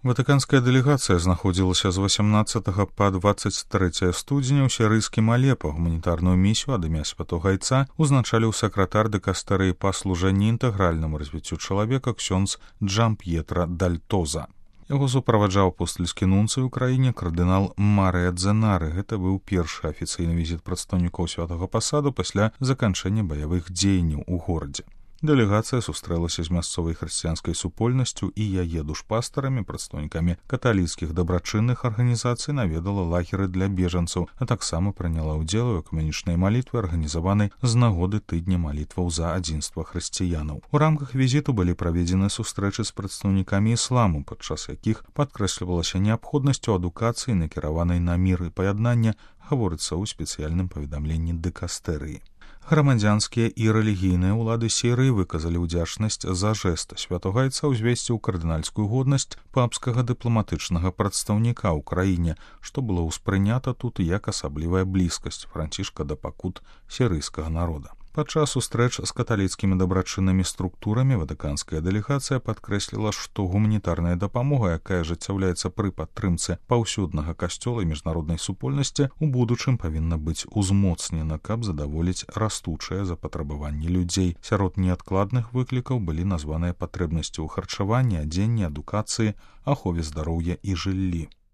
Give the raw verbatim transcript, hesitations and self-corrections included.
Ватыканская дэлегацыя знаходзілася з васямнаццатага па дваццаць трэцяе студзеня ў сірыйскім Алепа. Гуманітарную місію ад імя святога айца узначаліў сакратар дэкастэрыі па служэнні інтэгральнаму развіццю чалавека ксёндз Джамп'етра Дальтоза. Яго суправаджаў апостальскі нунцый у краіне кардынал Марыя Дзенары. Гэта быў першы афіцыйны візіт прадстаўнікоў святага пасаду пасля заканчэння баявых дзеянняў у горадзе. Дэлегацыя сустрэлася з мясцовай хрысціянскай супольнасцю і яе душпастарамі, прадстаўнікамі каталіцкіх дабрачынных арганізацый, наведала лагеры для бежанцаў, а таксама прыняла ўдзел у экуменічнай малітвы, арганізаванай з нагоды тыдня малітваў за адзінства хрысціянаў. У рамках візіту былі праведзены сустрэчы з прадстаўнікамі ісламу, падчас якіх падкрэслівалася неабходнасць у адукацыі, накіраванай на мір і паяднанне, гаворыцца ў спецыяльным паведамленні дэкастэрыі. Грамадзянскія і рэлігійныя ўлады Сірыі выказалі ўдзячнасць за жэст святога айца ўзвесці ў кардынальскую годнасць папскага дыпламатычнага прадстаўніка ў краіне, што было ўспрынята тут як асаблівая блізкасць Францішка да пакут сірыйскага народа. Падчас сустрэч з каталіцкімі дабрачыннымі структурамі ватыканская дэлегацыя падкрэсліла, што гуманітарная дапамога, якая ажыццяўляецца пры падтрымцы паўсюднага касцёла і міжнароднай супольнасці, у будучым павінна быць узмоцнена, каб задаволіць растучае запатрабаванне людзей. Сярод неадкладных выклікаў былі названыя патрэбнасці ў харчаванні, адзенні, адукацыі, ахове здароўя і жыллі.